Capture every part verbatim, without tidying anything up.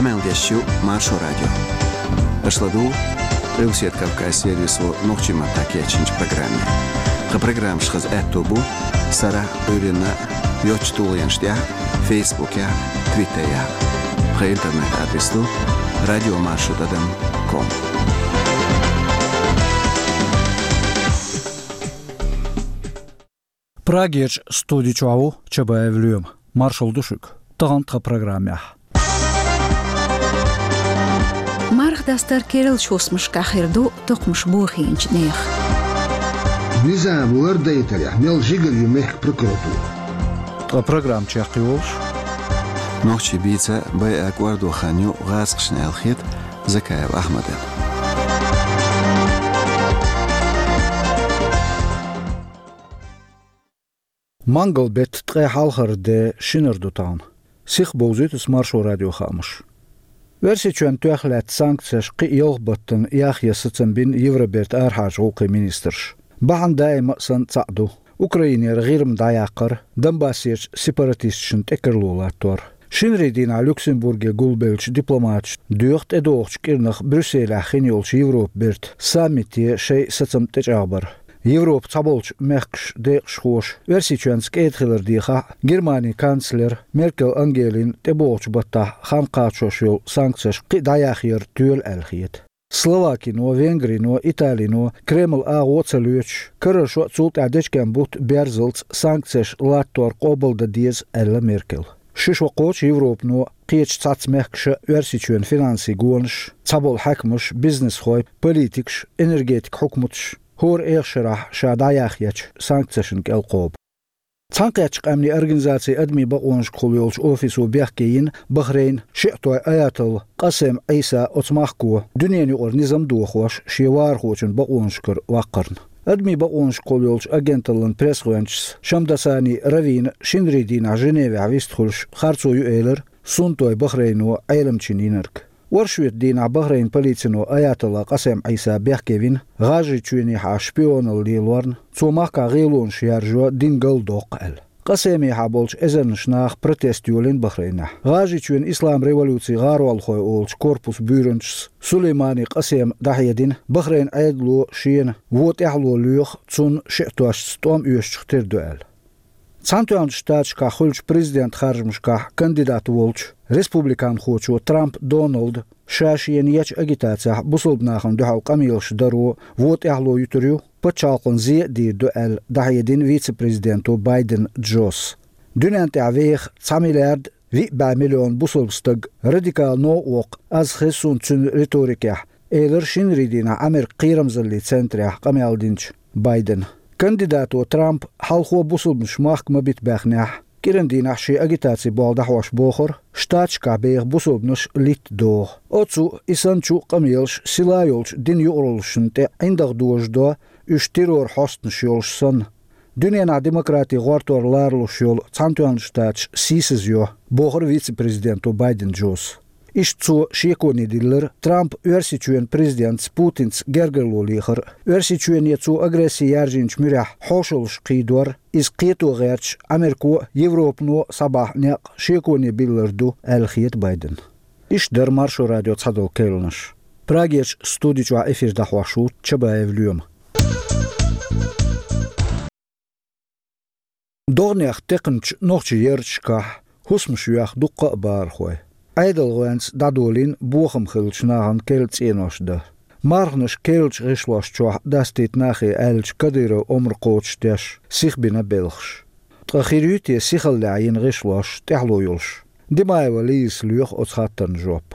Къамел деш ю Маршо радио. Аша ладугӀу Къилбаседа Кавказан сервисо нохчийн маттахь кечйинчу программе. Тхан программаш хаза аьтто бу сарахь а, Ӏуьйранна а йоцчу тулгӀенаш тӀехь а, Фейсбукехь а, Твиттерехь а. Тхан интернет-адрес ду радиомаршо тӀадам ком. Прагерчу студи чохь ву Чабаев Лоьма. Маршалла ду шуьга. Тахана тхан программехь: марха дастар керлачу хӀусамашкахь хир ду токхамаш бохийначу нехан. Низам лардайтарехь мел жигара ю мехкан прокуратура. Ткъа программа чекхйолуш: нохчийн бийца байа кӀордо хан ю гӀазкхашна аьлла хета Закаев Ахьмадана. Мангал беттан ткъе хьалхара де, шинара ду тахана. Сиха бовзуьйту ас Маршо радион хаамаш. Оьрсийчоьнна тоьхна лаьтта санкцеш кхин а ялх баттана яхъян сацам бина Евробертан арахьарчу гӀуллакхийн министраша. Бахьана даима а санна цхьаъ ду: Украинера ГӀирма дӀаяккхар, Донбассерчу сепаратисташна тӀекарло латтор. Шинарин дийнахь Люксембурге гулбеллачу дипломаташа доьху тӀедогӀучу кӀирнах Брюсселехь хин йолчу Европан бертан саммите шайн сацам тӀечӀагӀбар. Европан цхьаболчу мехкашна декъашхоша Оьрсийчоьнца кӀеда хилар дехахь а, Германин канцлера Меркел Ангелина тӀебогӀучу баттахь хан кхачош йолу санкцеш кхин а дӀаяхъяр тоьла аьлла хета. Словакино, Венгрино, Италино Кремлан агӀо а ца лоьцуш, карара шо а, цул тӀаьхьа дечкен бутт а берзалц санкцеш латтор къобалдан деза, аьлла Меркела. Ши шо кхочу Европано, кхечу цхьацца мехкаша а Оьрсийчоьнан финансийн гонаш, цхьаболу хьаькамаш, бизнесхой, политикаш, энергетикан хьукматаш хӀора эха шарахь ша дӀаяхъечу санкцешна кӀел кхобу. Цхьаьнакхеттачу къаьмнийн организацин адамийн бакъонашкахула йолчу офисо бехке йина Бахрейнан шиътойн аятолла Къасем Ӏийса оцу махко дуьненан юкъара низам дохош шен вахархочун бакъонашкара ваккхарна. Адамийн бакъонашкахула йолчу агенталлан пресс-гӀоьнчас Шамдасани Равина шинарин дийнахь Женевехь вистхуьлуш харцо ю элира суннатойн Бахрейно Ӏеламчийн йинарг. Оршотан дийнахь Бахрейнан полицино аятолла Къасем Ӏийса бехке вина ГӀажарийчоьнехьа шпионалла лелорна, цо махкахь гӀелонаш яржо дин галдоккху аьлла. Къасемехьа болчу эзарнаш наха протест йолийна Бахрейнехь. ГӀажарийчоьнан исламан революцин гӀаролхой олучу корпусан буьйранчас Сулеймани Къасема дӀахьедина, Бахрейнан Ӏедало шена вон тӀаьхьало лоьху, цунна шиътошца тӀом оьшучух тера ду аьлла. Цхьаьнатоьхначу Штаташкахь хуьлучу президентан харжамашкахь кандидат волчу республиканхочо Трамп Доналда ша шена ечу агитацехь бусалба нахана дуьхьал къамелаш даро вон тӀаьхьало юьтур ю, пачхьалкхана зе а дийр ду аьлла, дӀахьедина вице-президенто Байден Джос. Дуьненна тӀехь веха цхьа миллиард виъ бӀе миллион бусалба стаг радикал новкъа воккху, аз хеза суна цуьнан риторикехь, элира шинарин дийнахь Американ кхерамзаллин центрехь къамел динчу Байдена. Кандидато Трампа хьалхо бусалбанаш махка ма бита баьхнехь, кӀиран дийнахь шен агитацин болх дӀахьош бохура, Штаташкахь беха бусалбанаш литта догӀу. Оцу а, и санначу а къамелаш сила йолчу динан юкъараллашна тӀе ӀиндагӀ дожадо, уьш терроран хьостанаш йолуш санна. Дуьненахь демократин гӀортор лоралуш йолу Цхьаьнатоьхначу Штаташ сийсазйо, бохура вице-президенто Байден Джос. Иштта цо шеконе диллира Трампа Оьрсийчоьнан президентаца Путинца гергарло лехар а, Оьрсийчоьне цо агресси яржийначу муьрехь хьошалгӀаш кхийдор а, иза кхето гӀерташ Америко а, Европано а схьабахьа некъ шеконе биллар ду аьлла хета Байдена. Иштта дара Маршо радион цхьадолу керланаш. Прагерчу студи чохь эфир дӀахьош ву Чабаев Лоьма. ДогӀанех текхначу нохчийн ярташкахь хӀусамаш йоьху дуккха а бахархой. Ӏедалан гӀоьнца дӀадолийна бохам хиллачу нахана керла цӀенош дан. Марханаш керлачу гӀишлош чохь дастийта нахе аьллачу Кадыровн омра кхочушдеш сихбина белхаш. Ткъа хир юй те сихаллехь йина гӀишлош тӀаьхьало йолуш? Димаева Лизас лоьху оцу хаттарна жоп.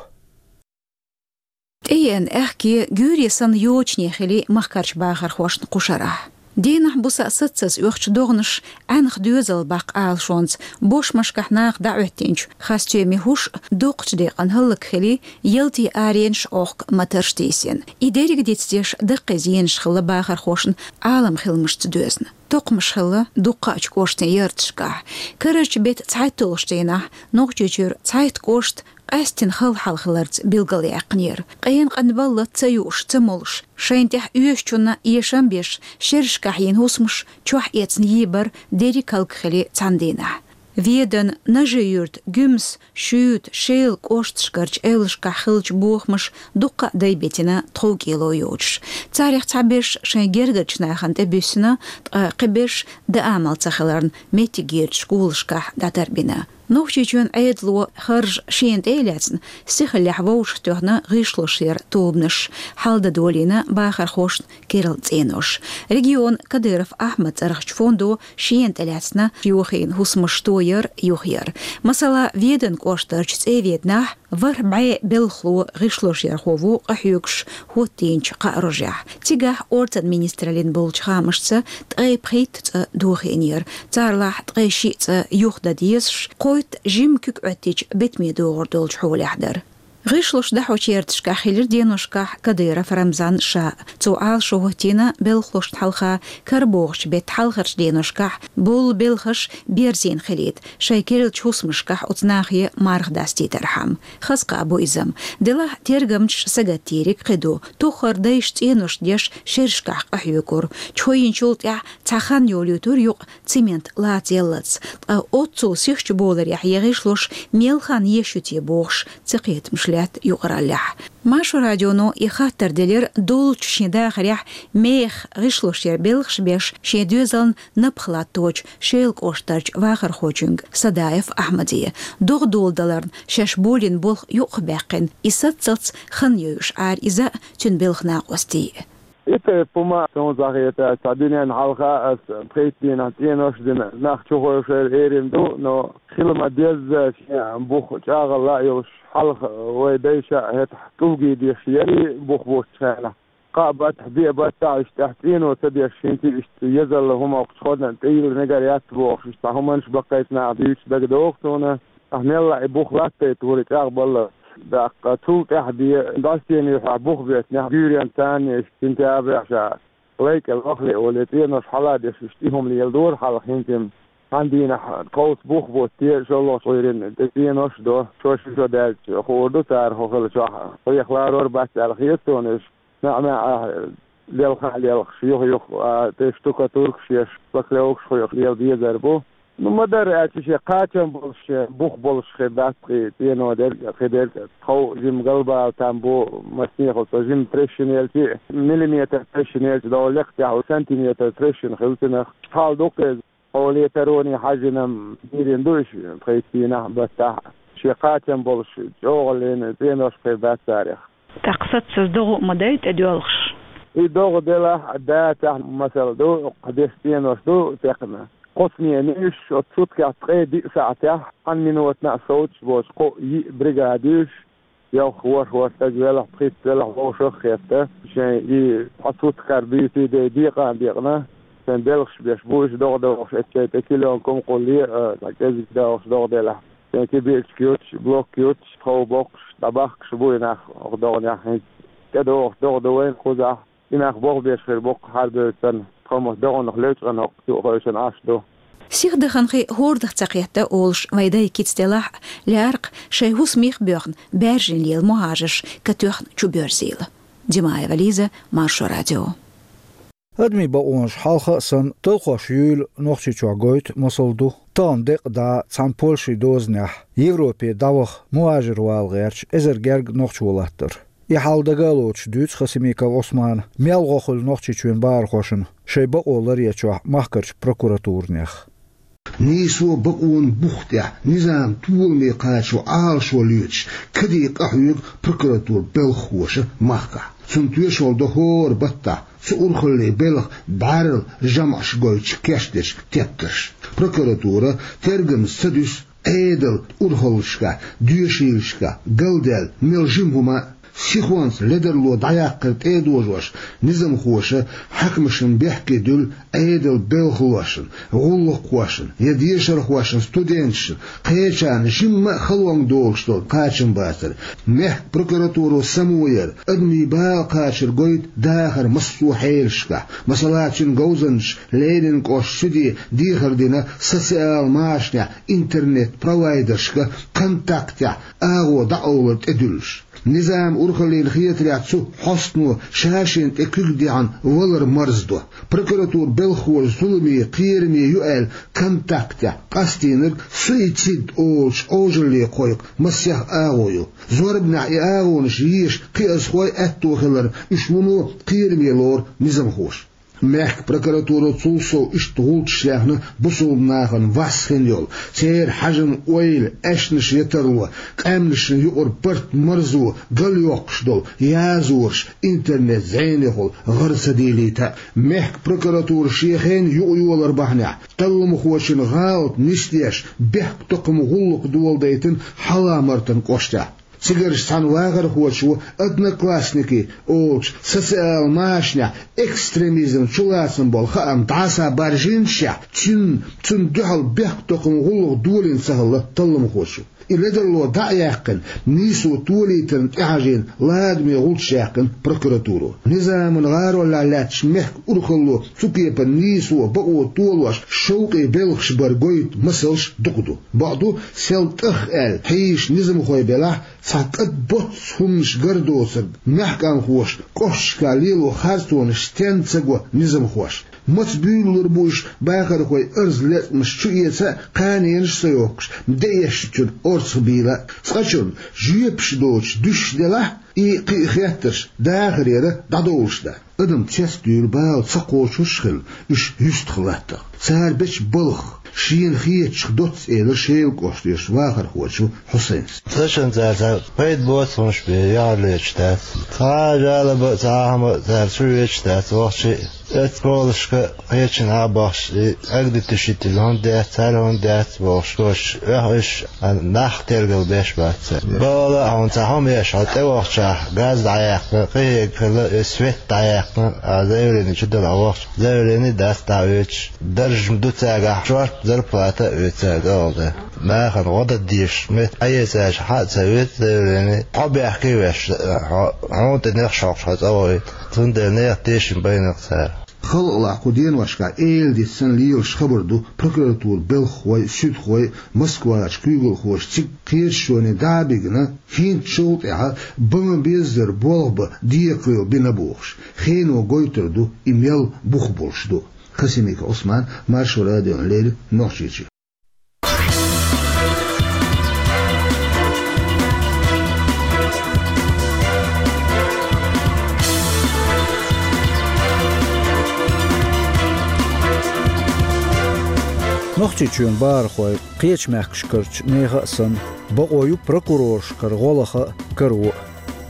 ТӀееана аьхке гуьйре санна йочане хили махкарчу бахархошна кхушарахь. Денахь-буса саццаза оьхучу догӀанаш Ӏаьнах доьзал баккха алашонца бошмашкахь наха дӀахӀоьттинчу хасстоьмийн хӀуш доккхачу декъана хӀаллакьхили, ялтин аренаш Ӏохка матарш тийсина. И дерриг дицдеш даккхий зенаш хилла бахархошна Ӏалам хиламашца доьзна. Токхамаш хилла дуккхачу кӀоштийн ярташкахь. Карарчу беттан цхьайтталгӀачу дийнахь Нохчийчуьра цхьайтта кӀошт къаьсттина хала хьал хиларца билгалъяьккхинера. Къена къанбалла ца юуш, ца молуш, шайна тӀехь оьшучунна эшам беш, шерашкахь йина хӀусамаш чохь эцна йийбар дерриг хӀаллакьхили цхьана дийнахь. Веданан, Нажи-Юьртан, Гуьмсан, Шуьйтан, Шелан кӀошташкарчу эвлашкахь хиллачу бохамаша дуккха а дай битина тховкӀело йоцуш. Царех цхьаберш шайн гергарчу нахана тӀебуьссина, ткъа кхиберш даа мел ца хиларна меттигерчу школашкахь дӀатарбина. Нохчийчоьнан Ӏедало харжа шена тӀе а лаьцна, сихаллехь вовшахтоьхна гӀишлошъяран тобанаш, хьалдадолийна бахархошна керла цӀенош. Регионан Кадыров Ахьмадан цӀарахчу фондо шена тӀелаьцна йохийна хӀусамаш тояр, юхаяр. Масала, Веданан кӀоштарчу ЦӀе-Веданахь ворхӀ бӀе белхало, гӀишлошъярхо ву къахьоьгуш хӀоттийначу кхаа рожехь. Цигахь орцан министраллин болчу хаамашца ткъе пхийтта цӀа дохийнера, царалахь ткъе шиъ цӀа юхадан дезаш, кхойтта жимма куьг Ӏоьттича битаме догӀур долчу хьолехь дара. ГӀишлош дӀахьочу ярташкахь хилира деношкахь Кадыров Рамзан ша. Цо Ӏалашо хӀоттийна белхалошна хьалха карабогӀучу беттан хьалхарчу деношкахь болу белхаш берзина хилийта, шайн керлачу хӀусамашкахь оцу нахе марха дастийтархьама. Хаза кхаъ бу иза-м. Делахь тергамчаша сагатдийриг кхин ду. Тоххара дайша цӀенош деш шерашкахь къахьоьгура. Чхьоинчул тӀаьхьа цхьа хан йолуьйтура юкъа цемент лаца яллалц. Ткъа оццул сихачу боларехь я гӀишлош мел хан еш ю те бохуш, цакхетамаш лаьтта юкъараллехь. Маршо радионо и хаттар делира доллучу шен дахарехь мехах гӀишлошъяран белхаш беш, шен доьзална напха латточу Шелан кӀоштарчу вахархочуьнга Садаев Ахьмаде. ДогӀа доладаларна шаьш болийна болх юкъахбаьккхина, и саццалц хан йойуш Ӏара иза а, цуьнан белхан накъостий а. И тайпа хӀума суна ца хетара, цхьа дуьненна хьалха ас пхийтта дийнахь цӀенош а дина, нах чухуьйшура эрна ду, но хила ма-дезза шен бух чӀагӀалла а йолуш, хьалха вай дайша а хӀетахь кӀулгий деш яра бух буттучу хенахь. Кхаа баттахь, деа баттахь, иштта тӀехь цӀено ца деш, хӀинца иштта езалла хӀума кху ходна тӀейилла мегар яц бохуш, иштта хӀуманаш баккхийчу наха дуьйцуш дагадогӀу суна. Ахь мелла а и бух латтайта вури чӀагӀбалла. ТӀаккха цул тӀаьхьа бен дӀасаенна юьхьехь бух беттинехь, гуьйренна царна иштта сентябрехь ша лай кӀел вахале оле, цӀенош хьала деш, иштта и хӀума леладора хьалха хӀинца-м. Цхьана дийнахь тховса бух бутте, шолгӀачу Ӏуьйранна тӀе цӀенош а до, шо ши шо даьлча хуур ду цара хӀун хилла чохь, хьехаларор бац аьлла хета суна уьш. МаьӀ-маьӀӀехь лелха а лелхаш, юха-юха а тӀе штукатуркаш еш, шпаклёвкаш хьоькхуш лела дезар бу. Ну, ма-дарра аьлча, шен кхачам болуш, шен бух болуш хир дац-кх и цӀено дерг а, кхидерг а. Тхов жимма галбала там бу, массанехула со жимма трещина елча а, миллиметр трещина елча, догӀу лекха тӀехь сантиметр трещина хилла цунах. Хьал ду-кх иза. Хьоле тароне хьаьжжина-м дийрина ду уьш, пхийтта дийнахь а, баттахь а. Шен кхачам болуш, чӀогӀаллина цӀенош хир дац царех. ТӀаккха саццаза догӀа а ма дай тӀедоьлхуш. И догӀа делахь а, дацахь а, масал ду, кху деш цӀенош ду текхна. Кхо смена уьш, оцу суткех ткъе диъ сахьтехь, цхьана минотана а совцуш боцу кхо-йиъ бригада уьш, йовха ворхӀ-ворхӀ стаг велахь, пхийтта велахь, вовшах а хетта, шайн и цхьа суткара буьйсий-дей декъан а декъна, шайн белхаш беш бу уьш догӀа догӀуш, эццай тӀе килёнка хӀума кхулле а, цхьа кӀезиг догӀуш догӀа делахь. Шайн кибирчка юттуш, блок юттуш, тхов боккхуш, дӀабахкаш бу и нах оха догӀанехь хӀинца. ТӀедогӀуш догӀа ду вайна кхузахь. И нах болх беш хир бу-кх хьарбевлла санна, тхо-м оцу догӀанах лечкъина хӀокху юкъахойшина Ӏаш ду. Сихдаханхи хӀордах ца кхетта олуш вайн дай кица делахь а, лаьара-кх шайн хӀусамех а боьхна, баьржина лела мухӀажарш катоьхна чубоьрзийла. Димаева Лиза, Маршо радио. Адамийн бакъонаш хьалха а санна, талхош юйла Нохчийчохь гойту, масал ду, тахана декъа дӀа цхьана Польшин дозанехь Европе дӀаваха, мухӀажар вала гӀерташ эзар гергга нохчо латтар. И хьал дага а лоцуш дуьйцу Хасимиков Ӏусмана мел гӀо хуьлу Нохчийчоьнан бахархошна шайн бакъо ларъечохь махкарчу прокуратурнех. Нийсо бакъонан бух тӀехь низам толаме кхачо Ӏалашо лоьцуш, каде къахьоьгу прокуратуран белхахоша махкахь. Цунна тоьшалла до хӀора баттахь, цу урхалле белхан бӀаьрла жамӀаш гойтуш кечдеш тептарш. Прокуратура тергамза ца дуьсу Ӏедалан урхаллашкахь, доьшийлашкахь галдаьлла мел жима хӀума а. Сихонца ледарло дӀаяккхар тӀедожош, низамхоша хьаькамашна бехке дуьллу Ӏедалан белхалошна, гӀуллакххошна я дешархошна, студенташна, кхечарна жимма а халонга догӀуш долу кхачамбацар. Мехкан прокуратуро само яр, адамийн бала кхачар гойту дахаран массо а хьелашкахь, масала, цуьнан говзанчаша Ленинан кӀоштан суьде дехар дина социал машанехь интернет-провайдершка, контактехь агӀо дӀакъовлар тӀедуьллуш. Низам урхаллина хетарехь, цу хьостано ша-шена тӀе куьг дихьна валар марздо. Прокуратуран белхахоша зуламе, кхераме ю аьлла, контактехь къастийнарг суицид олучу Ӏожалле кхойкху масех агӀо ю. Зорбанехь и агӀонаш еша кхиазхой аьтто хиларна, уьш вуно кхераме лору низамхоша. Мехкан прокуратуро цул сов иштта гӀулчаш яьхна бусалба нахана вац хин йолу, церан хьажам-ойла, аьшнаш ян тарло, къаьмнашна юкъара барт марзо, галйоккхуш долу язораш интернет-зӀенехула гӀара ца дийлийта а. Мехкан прокуратура шен хенан юкъайолар бахьанехь, талламхочун гӀалат нисдеш, бехктокхаман гӀуллакх доладайтина Хьалха-Мартан кӀоштехь. Цигарчу цхьана вахархочо «Одноклассники» олучу социал машанехь экстремизм чулацам болу хаам дӀасабаржийначохь, цуьнан, цунна дуьхьал бехктокхаман гӀуллакх долийна ца хилла талламхочо. И ледарло дӀа а яьккхина, нийсо толийтарна тӀехьажийна ладаме гӀулчаш яьккхина прокуратуро. Низаман гӀаролехь лаьтташ мехкан урхалло цу кепара нийсо, бакъо толош шовкъе белхаш бар гойту масалш дукха ду. Бакъду, сел тӀах аьлла хьийзаш низамхой белахь, цхьа кӀад боццу хӀуманаш гар доцург, маьхкамхоша кӀошташкахь лело харцонаш стенна ца го низамхоша. Маца буьйлалур бу уьш бахархойн арз-лецамаш чуэца а, кханенаш а ца йохкуш, деэшначунна орцах бийла а. Цкъачунна жоьпаш доцуш дуьсуш делахь, и кхин а хеттарш дахарера дӀадовлуш дац. Адам цецдуьйлу бала ца кхочуш хилла, уьш юьстах латтахь. Цара бечу балхах, шена хетачух доцца, элира Шелан кӀоштан вахархочо Хьусайнас. Цкъачунна цара цхьа пайда боцу хӀумнаш бен яхьар леташ дац. Цхьа а жалоба а, цхьа а хӀума а цара чу ветташ дац вахча а. Оцу полашка кхечанхьа а бахча, и эгадиташ йитина хӀунда дац, цара хӀунда дац бохуш, кхочуш, оьхуш, а, нах тергал беш бац цара. Бала а хьуна цхьа хӀума еш, хьо тӀевахчахь, газ дӀаяьккхина, кхин хӀегга хилла, и свет дӀаяьккхина, а, заявлени чу дала хьо вахча, заявлени дац дӀа а оьцуш, даржаш ма ду цаьргахь, шорта зарплата а оьцу цаьрга, оха де. Нахана гӀо дан дезаш метта Ӏаэцаш хьа а ца веза заявлени, хьо бехке а веш, хьо, хьуна тӀе нехаш хьокхуш хьо цӀа вахийта. Цундела нехан тешам байна-кх цара. Халкъалахь кху деношкахь эладита санна лелаш хабар ду, прокуратуран белхахой а, суьдхой а Москвахь куьйгалхоша цига кхеташоне дӀа а бигна, хӀинцачул тӀаьхьа бан беззара болх бан декхарийла бина бохуш. Хено гойтур ду, и мел бух болуш ду. Хасимиков Ӏусман, Маршо радиона леррина, Нохчийчоь. Нохчийчоьнан бахархой, кхечу мехкашкарчу нехан а санна, бакъо ю прокуроршкара гӀо лаха а, каро а.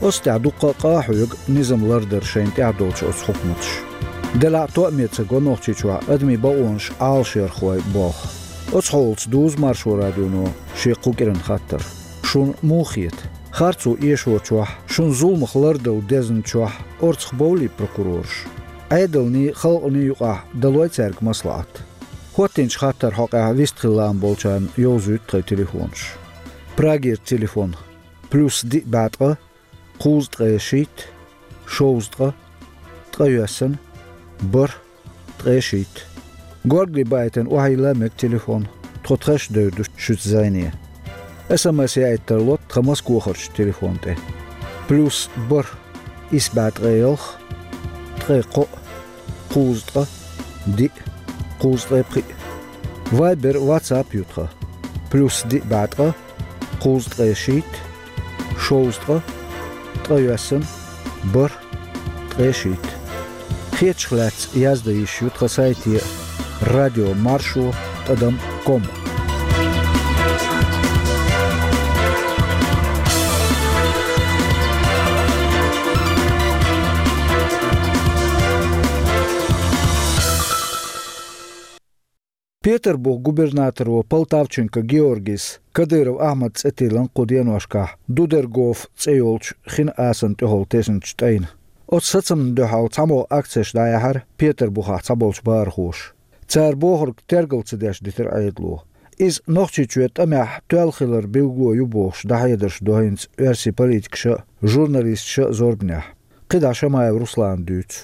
Оцу тӀехь дуккха а къа а хьоьгу низам лардар шайна тӀехь долчу оцу хьукматаша. Делахь а тоаме ца го Нохчийчохь адамийн бакъонаш Ӏалашъярхой болх. Оцу хьолаца дузу Маршо радионо шен кху кӀиран хаттар. Шуна муха хета? Харцо эшочохь, шуна зуламах лардала дезначохь орцах бовлий прокурораш? Ӏедалний, халкъаний юкъахь далой цаьрга маслаӀат? ХӀоттийначу хаттаран хьокъехь вистхила лаам болчарна йовзуьйту тхайн телефонаш. Прагера телефон: плюс диъ бӀе ткъа, кхузткъе шийтта, шовзткъа, ткъайоьсна, бархӀ, ткъе шийтта. Горгали баийтина охьайилла мега телефон, тхо тхаьш а девр ду шуьца зӀене. СМС яийта тарло тхан Москвахарчу телефон тӀе. Плюс бархӀ, исс бӀе ткъе ялх, ткъе кхоъ, кхузткъа, диъ, кхузткъе пхиъ. Вайбер, ватсап ю тхан. Плюс диъ бӀе ткъа, кхузткъе шийтта, шовзткъа, ткъайоьсна, бархӀ, ткъе шийтта. Хетачух лаьцна яздан йиш ю тхан сайте: радио маршо тӀадам ком. Петарбухан губернаторо Полтавченко Георгийс Кадыров Ахьмадан цӀе тиллина кху деношкахь Дудергоф цӀе йолчу хин асанна тӀехула тесначу тӀайна. Оцу сацамна дуьхьал цхьамогӀа акцеш дӀаяьхьира Петарбухахь цхьаболчу бахархоша. Цара бохург тергал ца деш дитира Ӏедало. Иза Нохчийчоь тӀамехь тоьлла хилар билгало ю бохуш дӀахьедарш до хӀинца оьрсийн политикаша а, журналисташа а зорбанехь. КхидӀа Шамаев Руслана дуьйцу.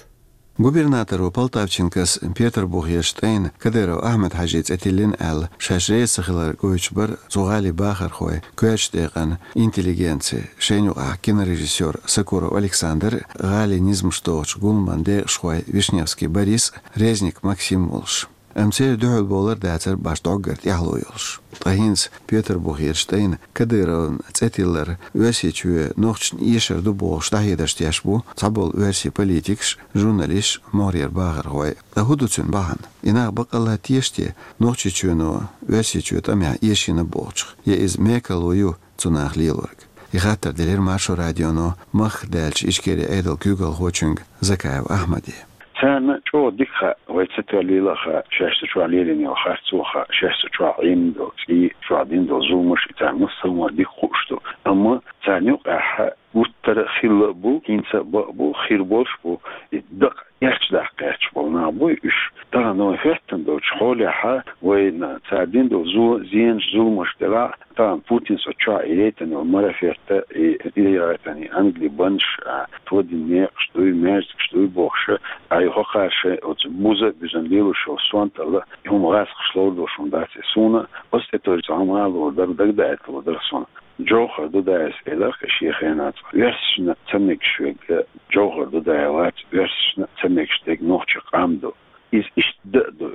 Губернаторо Полтавченкос Петарбухерчу тӀайна Кадыров Ахьмад-Хьажин цӀе тиллина аьлла, шаьш реза ца хилар гойтуш бара цу гӀалин бахархой, коьртачу декъана интеллигенци, шайна юкъахь кинорежиссёр Сокуров Александр, гӀалин низамаш дохучу гуламан декъашхой Вишневский Борис, Резник Максим волуш. Амма церан дуьхьал бовлар дацара башха дӀоггара тӀаьхьало йолуш. Ткъа хӀинца Петарбухерчу тӀайна Кадыровн цӀе тиллар Оьрсийчоь нохчашна эшар ду бохуш дӀахьедарш деш бу цхьаболу оьрсийн политикаш, журналисташ, могӀарера бахархой. Ткъа хӀун ду цуьнан бахьана? И нах баккъалла теша те Нохчийчоьно Оьрсийчоь тӀамехь эшийна бохучух, я иза мекарло ю цу наха лелориг? И хаттар делира Маршо радионо махках даьллачу Ичкерин Ӏедалан куьйгалхочуьнга Закаев Ахьмаде. Царна чӀогӀа дика хаьа, вай ца тарлийла а хаьа, шаьш цу чохь лелийна йолу харцо а хаьа, шаьш цу чохь Ӏемина долу цӀий, чохь дина долу зуламаш, и царна массо а дика хууш ду. Амма царна юкъахь гуттара а хилла а бу, хӀинца а бан а бу, хир болуш а бу, и дакъа эрча даккха гӀерташ болу нах буй уьш. Тахана вай хӀоьттина долчу хьолехь, вайна цара дина долу зо-, зенаш, зуламаш делахь, тахана Путинс оцу чохь и яйтина йолу марафет а, и, и яйтина и ангали баннаш а, тодина некъаш дуй, маьждигаш дуй бохуш а, и хӀокхара шайн оцу буза а буьзна лелош йолу сонталла, и хӀума гӀазкхаша ловр долуш хӀума дац и суна, оцу тӀе тойжа цхьа хӀума а ловр дара, дагадаийталур дара суна. Джовхар Дудаевс элира-кх шен хенахь цкъа: «Оьрсашна ца мегаш верг Джовхар Дудаев вац, оьрсашна ца мегаш дерг нохчийн къам ду». Иза иштта дан а ду.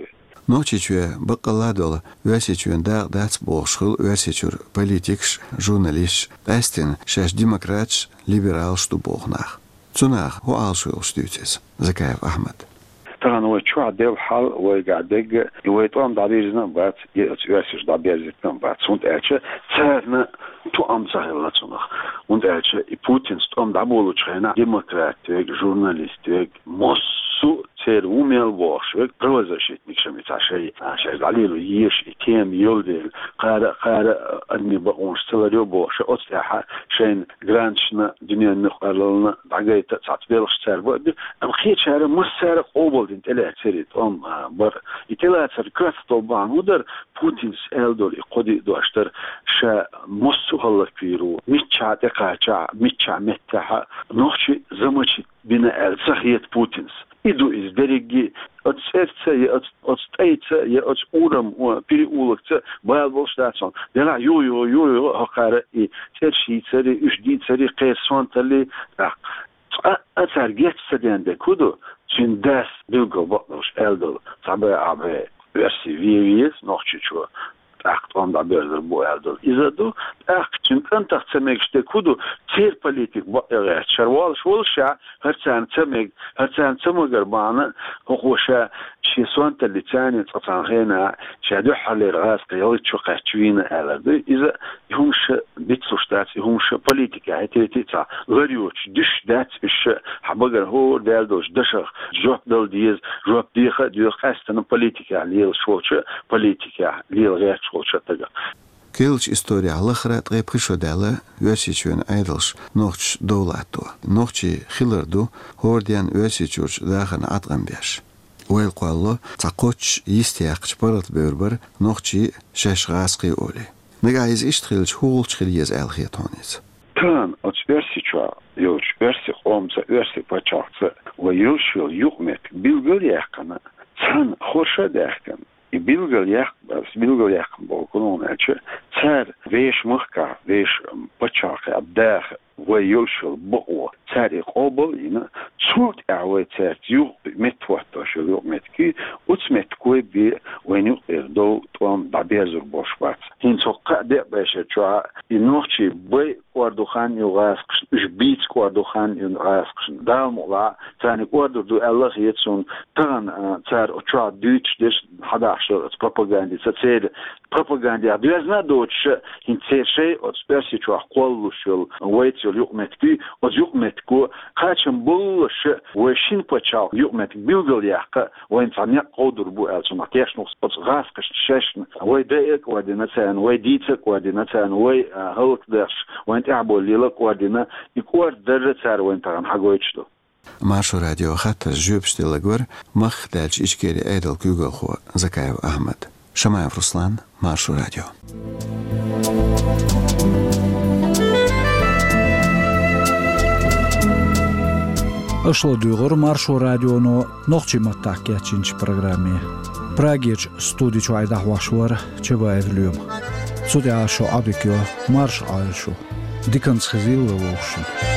Нохчийчоь баккъалла а долу Оьрсийчоьнан дакъа дац бохуш хуьлу Оьрсийчуьра политикаш, журналисташ, къаьсттина шаьш демократаш, либералаш ду боху нах. Цу наха хӀун Ӏалашо йолуш дуьйцу иза, Закаев Ахьмад? Тахана вай чохь делла хьал, вайгахь дерг а, и вай тӀом дӀабирзина а бац, и оцу оьрсаша дӀаберзийтина а бац, хӀунда аьлча царна тоам ца хилла цунах. ХӀунда аьлча и Путинс тӀом дӀаболучу хенахь демократ верг, журналист верг, массо а церан ву мел бохуш верг, правозащитникаш а, и цхьа шай, а, шаьш дӀалело езаш и тема йолу дела, кхара а, кхара а адамийн бакъонаш ца ларйо бохуш, оцу тӀехь шайна гранташна, дуьненан мукъарлална дӀагайта а цхьацца белхаш цара бан а бира, амма кхечара массара а къобалдина тӀелаьцнера и тӀом, а, бар. И тӀелацар коьрта долу бахьана хӀун дара? Путинс аьлла долу и кхо-диъ дош дара, ша массо а хӀаллаквийр ву, миччахь тӀекхачахь, миччахь меттехь а, нохчий замочить бина аьлла ца хета Путинс. И ду иза дерриге, оцу цӀерца я оцу, оцу тӀайца я оцу урам, о, переулокца бала болуш дац хьуна. Делахь юха, юха, юха, юха, хӀокхара и цӀераш йийцаре, уьш дийцаре, кхеран сонталле, тӀаккха цкъа а цара геч ца ден дерг хӀун ду? Цуьнан дас билггал бакъдолуш аьлла долу: «Цхьа бӀе, ахь бӀе оьрсий вен веза Нохчийчу, тӀаккха тӀом дӀаберзар бу», аьлла долу. Иза а ду, тӀаккха цуьнан кӀантах ца мегаш дерг хӀун ду? Церан политика бакъ а гӀерташ, шара волуш волуш ша, хӀара царна ца мега, хӀара царна ца магар бахьана, хӀокхо ша шен сонталлица цхьана хенахь, ша дуьххьарлера гӀазкхий ялхитта шо кхаьчча вийна аьллар ду. Иза и хӀумаш дицлуш дац, и хӀумаш политикехь хӀетте а цхьа лар йоцуш дуьсуш дац, уьш хьан багара хӀора даьлла долчу дашах жоп дала деза, жоп деха а доьху къаьсттина политикехь лелаш волчу, политикехь лела гӀерташ волчу стагах. Керлачу исторехь лахара ткъе пхи шо даьлла Оьрсийчоьнан Ӏедалш нохчашца дов латто. Нохчий хилар ду хӀора денна Оьрсийчуьрчу дахарна Ӏаткъам беш. Ойла кхоллало цхьа кхоччуш йистеяккхачу паргӀатбевр бара нохчий а, шаьш гӀазкхий а олий. Нагахь иза иштта хилча, хӀун гӀулч хила еза аьлла хета хьуна иза? Тахана оцу Оьрсийчохь йолчу оьрсийн къомца, оьрсийн пачхьалкхца вай йолуш йолу юкъаметтиг билгал а яьккхина, цхьана хорша а даьхкина, и билгал яккх-, билгал яьккхина бохург хӀун ду аьлча, цара вешан махкахь, вешан пачхьалкхехь даха вай йолуш йолу бакъо цара и къобал а йина, цул тӀаьхьа вай цаьрца юха меттахӀоттош йолу юкъаметтиг, оцу меттиге бен вайна юкъера дов, тӀом дӀаберзор болуш бац. ХӀинца хӀокху кхаа-деа бӀешерчохь и нохчий бай кӀордо хан ю гӀазкхашна, уьш бийца кӀордо хан ю гӀазкхашна. Дала мукъалахь, царна и кӀордор ду аьлла а хета суна, тахана, а, цара оцу чохь дуьйцуш дерш, хьадахьаш долу оцу пропагандица церан пропагандехь доьзна а доцуш, хӀинца церан шайн оцу Оьрсийчохь кхоллалуш йолу, вайца йолу юкъаметтиг, оцу юкъаметтиго кхачам боллуш, вай шина пачхьалкхан юкъаметтиг билгал яккха, вайна цхьа некъ кховдор бу аьлла, цунах тешна ву оцу гӀазкхашна шайшна. Вай дайа а кӀордина царна, вай дийца а кӀордина царна, вай, а, хӀаллакдеш, вайна тӀаьхьабовлийла а кӀордина, и кӀордадар цара вайна тахана хьагойтуш ду. Маршо радион хаттаршна жоьпаш делларг вара махках даьллачу Ичкерин Ӏедалан куьйгалхо Закаев Ахьмад. Шамаев Руслан, Маршо радио. Аша ладугӀура Маршо радионо нохчийн маттахь кечйинчу программе. Прагерчу студи чохь и дӀахьош вара Чабаев Лоьма. Цу тӀехь шун Ӏодика йо, марша Ӏойла шу. Диканца хезийла вовшашна.